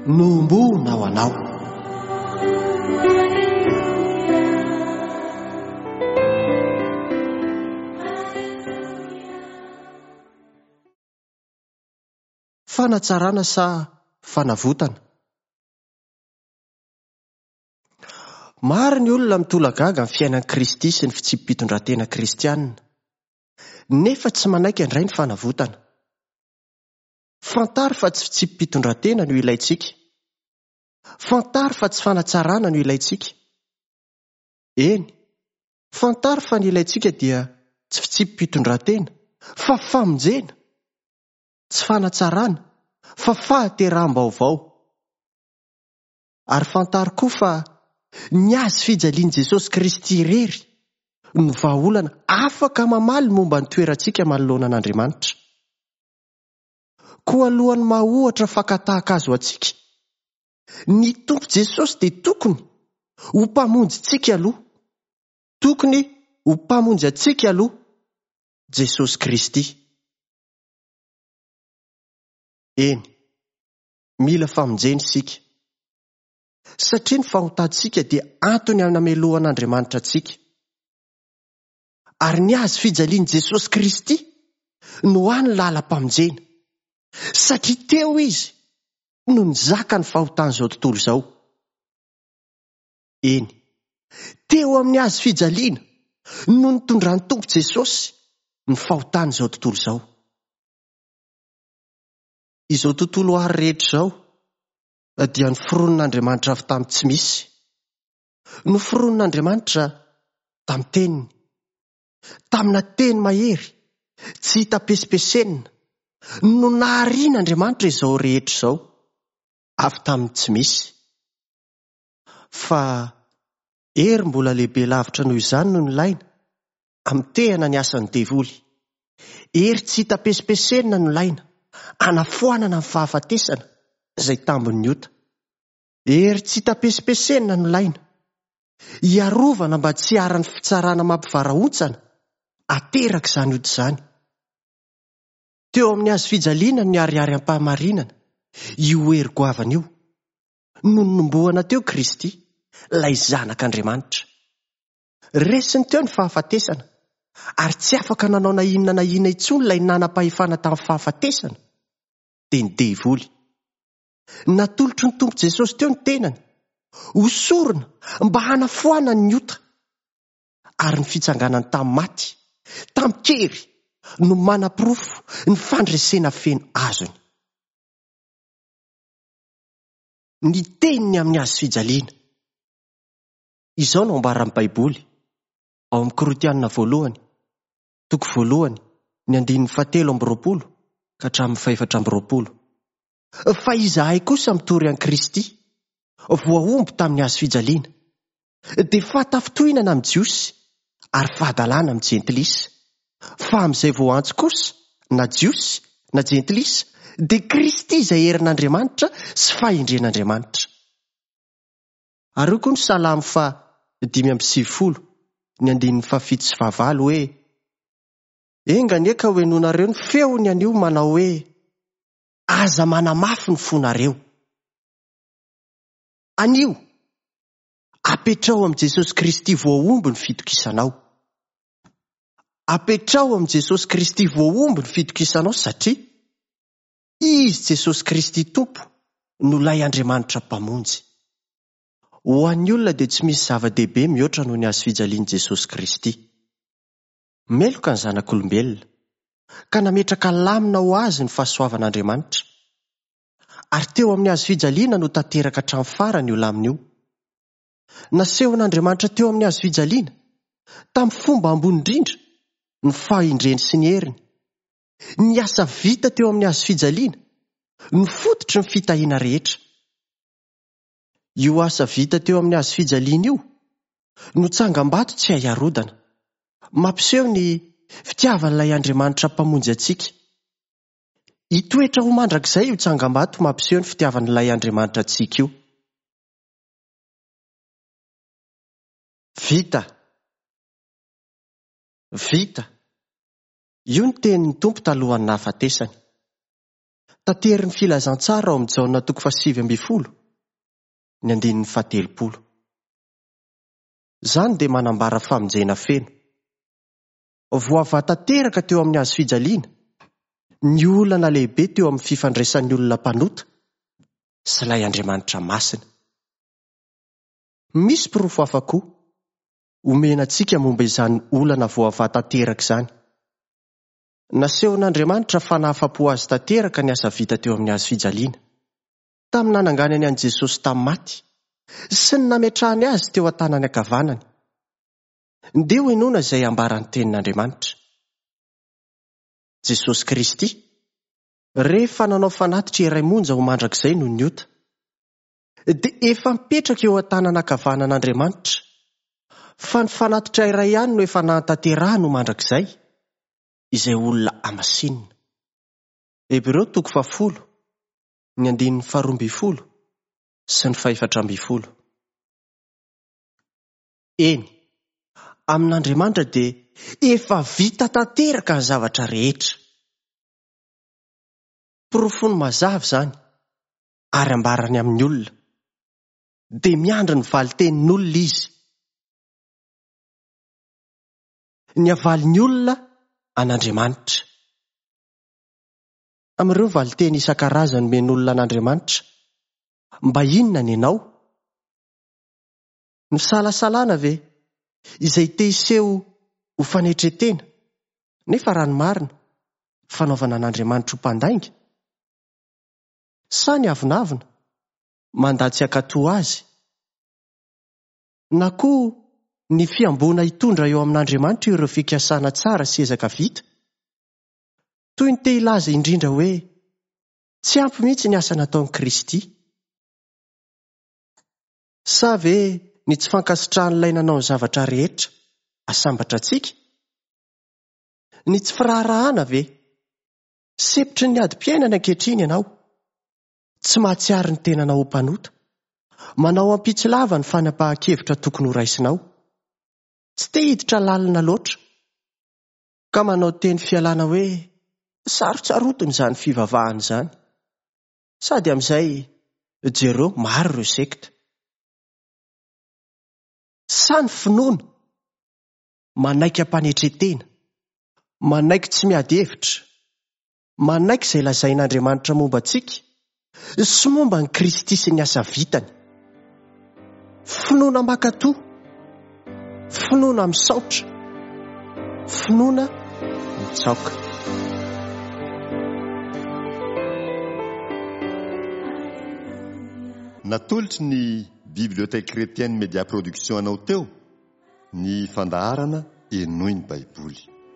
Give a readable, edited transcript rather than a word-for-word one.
Nohomboana ho anao. Fanatsarana sa fanavotana? Maro ny olona mitolagaga amin'ny fiainan'i Kristy sy ny fitsipi-pitondran-tena kristianina, nefa tsy manaiky handray ny fanavotana. Fantaro fa tsy fitsipi-pitondran-tena no ilaintsika. Fantaro fa tsy fanatsarana no ilaintsika. Eny, fantaro fa ny ilaintsika dia tsy fitsipi-pitondran-tena, fa famonjena. Tsy fanatsarana, fa fahateraham-baovao. Ary fantaro koa fa ny hazo fijalian'i Jesosy Kristy irery no vahaolana afaka mamaly momba ny toerantsika manoloana an'Andriamanitra. Koa alohan'ny maha ohatra fakan-tahaka azy ho antsika, ny Tompo Jesosy dia tokony ho Mpamonjintsika aloha. Tokony ho Mpamonjy antsika aloha Jesosy Kristy. Eny. Mila famonjena isika. Satria ny fahotantsika dia antony hanamelohan'Andriamanitra antsika. Ary ny hazo fijalian'i Jesosy Kristy no hany lalam-pamonjena. Satria teo Izy no nizaka ny fahotan'izao tontolo izao. Eny, teo amin'ny hazo fijaliana no nitondran'ny Tompo Jesosy ny fahotan'izao tontolo izao. Izao tontolo àry rehetra izao dia noforonin'Andriamanitra avy tamin'ny tsy misy. Noforonin'Andriamanitra tamin'ny teniny. Tamina teny mahery, tsy hita pesipesenina, no naharian'Andriamanitra izao rehetra izao, avy tamin'ny tsy misy. Fa hery mbola lehibe lavitra noho izany no nilaina Hamotehana ny asan'ny devoly. Hery tsy hita pesipesenina no ilaina hanafoanana ny fahafatesana izay tambin'ny ota. Hery tsy hita pesipesenina no ilaina hiarovana mba tsy hiharan'ny fitsarana mampivarahontsana aterak'izany ota izany. Teo amin'ny hazo fijaliana no niharihary am-pahamarinana io hery goavana io, no nonombohana teo Kristy, ilay Zanak'Andriamanitra. Resiny teo ny fahafatesana, ary tsy afaka nanao na inona na inona intsony ilay nanam-pahefana tamin'ny fahafatesana, dia ny devoly. Natolotry ny Tompo Jesosy teo ny tenany, ho sorona mba hanafoanany ny ota, ary ny fitsanganany tamin'ny maty, tamin-kery, no manaporofo ny fandresena feno azony. Ny teniny amin'ny hazo fijaliana. Izao no ambaran'ny Baiboly, ao amin'ny Korintiana voalohany, toko voalohany, ny andininy fahatelo amby 20 ka hatramin'ny fahefatra amby 20, Fa izahay kosa mitory an'i Kristy, voahombo tamin'ny hazo fijaliana, dia fahatafintohinana amin'ny Jiosy ary fahadalana amin'ny Jentilisa, fa amin'izay voaantso kosa, na Jiosy na Jentilisa, dia Kristy izay herin'Andriamanitra sy fahendren'Andriamanitra. Ary hoy koa ny Salamo faha 95, ny andininy fahafito sy fahavalo hoe, Enga anie ka hohenoinareo ny feony anio manao hoe, Aza manamafy ny fonareo. Anio, apetraho amin'i Jesosy Kristy voahombo ny fitokisanao. Apetraho amin'i Jesosy Kristy voahombo ny fitokisanao satria Izy Jesosy Kristy Tompo no ilay Andriamanitra Mpamonjy. Ho an'ny olona dia tsy misy zava-dehibe mihoatra noho ny hazofijalian'i Jesosy Kristy. Meloka ny zanak'olombelona, ka nametraka lamina ho azy ny fahasoavan'Andriamanitra. Ary teo amin'ny hazofijaliana no tanteraka hatramin'ny farany io lamina io. Nasehon'Andriamanitra teo amin'ny hazofijaliana, tamin'ny fomba ambony indrindra, ny fahendreny sy ny heriny. Ny asa vita teo amin'ny hazo fijaliana no fototry ny fitahiana rehetra. Io asa vita teo amin'ny hazo fijaliana io no tsangambato tsy hay arodana, mampiseho ny fitiavan'ilay Andriamanitra Mpamonjy antsika. Hitoetra ho mandrakizay io tsangambato mampiseho ny fitiavan'ilay Andriamanitra antsika io. Vita! Vita! Io ny tenin'ny Tompo talohan'ny nahafatesany. Taterin'ny Filazantsara ao amin'ny Jaona toko fahasivy ambin'ny folo, ny andininy fahatelopolo. Izany dia manambara famonjena feno. Voavaha tanteraka teo amin'ny hazo fijaliana ny olana lehibe teo amin'ny fifandraisan'ny olona mpanota sy ilay Andriamanitra masina. Misy porofo hafa koa omena antsika momba izany olana voavaha tanteraka izany. Nasehon'Andriamanitra fa nahafa-po azy tanteraka ny asa vita teo amin'ny hazo fijaliana, tamin'ny nananganany an'i Jesosy tamin'ny maty sy ny nametrahany azy teo an-tanany ankavanany. Ndeha hohenoina izay ambaran'ny Tenin'Andriamanitra. Jesosy Kristy, rehefa nanao fanatitra iray monja ho mandrakizay noho ny ota, dia efa mipetraka eo an-tanana ankavanan'Andriamanitra, fa ny fanatitra iray ihany no efa nahatanterahany ho mandrakizay, izay olona hamasinina. Hebreo toko fahafolo, ny andininy faharoa ambin'ny folo sy ny fahefatra ambin'ny folo. Eny, amin'Andriamanitra dia efa vita tanteraka ny zavatra rehetra. Porofony mazava izany ary ambarany amin'ny olona. Dia miandry ny valin-tenin'olona izy. Ny havalin'ny olona an'Andriamanitra. Amin'ireo valin-teny isan-karazany omen'olona an'Andriamanitra, mba inona ny anao? Ny fisalasalana ve, izay te hiseho ho fanetren-tena, nefa raha ny marina, fanaovana an'Andriamanitra ho mpandainga? Sa ny avonavona, mandà tsy hankatò azy? Na koa ny fihamboana hitondra eo amin'Andriamanitra ireo fikasana tsara sy ezaka vita? Toy ny te hilaza indrindra hoe tsy ampy mihitsy ny asa nataon'i Kristy. Sa ve ny tsy fankasitrahan'ilay nanao ny zavatra rehetra asambatra antsika? Ny tsy firaharahana ve? Sempotry ny adim-piainana ankehitriny ianao. Tsy mahatsiaro ny tenanao ho mpanota. Manao ampitsilava ny fanapahan-kevitra tokony horaisinao. Tsy te hiditra lalina loatra. Ka manao teny fialana hoe sarotsarotiny izany fivavahana izany. Sady amin'izay jereo maro ireo sekta. Sa ny finoana manaiky am-panetren-tena, manaiky tsy miady hevitra, manaiky izay lazain'Andriamanitra momba antsika sy momba an'i Kristy sy ny asa vitany. Finoana mankatò, finoana misaotra, finoana mitsaoka. Natolotry ny Bibliothèque Chrétienne Média Production anao teo ny fandaharana Henoy ny Baiboly.